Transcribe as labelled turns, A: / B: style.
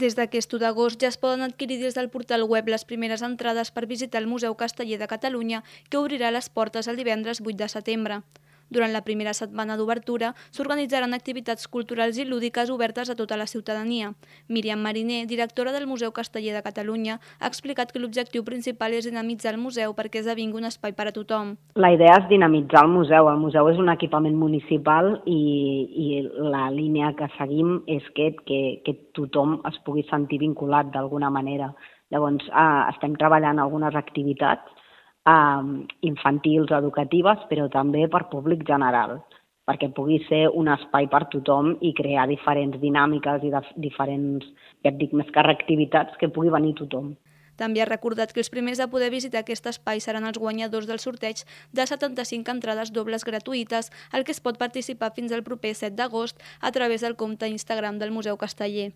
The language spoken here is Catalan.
A: Des d'aquest 1 d'agost ja es poden adquirir des del portal web les primeres entrades per visitar el Museu Casteller de Catalunya, que obrirà les portes el divendres 8 de setembre. Durant la primera setmana d'obertura s'organitzaran activitats culturals i lúdiques obertes a tota la ciutadania. Míriam Mariner, directora del Museu Casteller de Catalunya, ha explicat que l'objectiu principal és dinamitzar el museu perquè esdevingui un espai per a tothom.
B: La idea és dinamitzar el museu. El museu és un equipament municipal i la línia que seguim és que tothom es pugui sentir vinculat d'alguna manera. Llavors, estem treballant algunes activitats infantils, educatives, però també per públic general, perquè pugui ser un espai per tothom i crear diferents dinàmiques i diferents, ja et dic, més que activitats que pugui venir tothom.
A: També ha recordat que els primers a poder visitar aquest espai seran els guanyadors del sorteig de 75 entrades dobles gratuïtes, al que es pot participar fins al proper 7 d'agost a través del compte Instagram del Museu Casteller.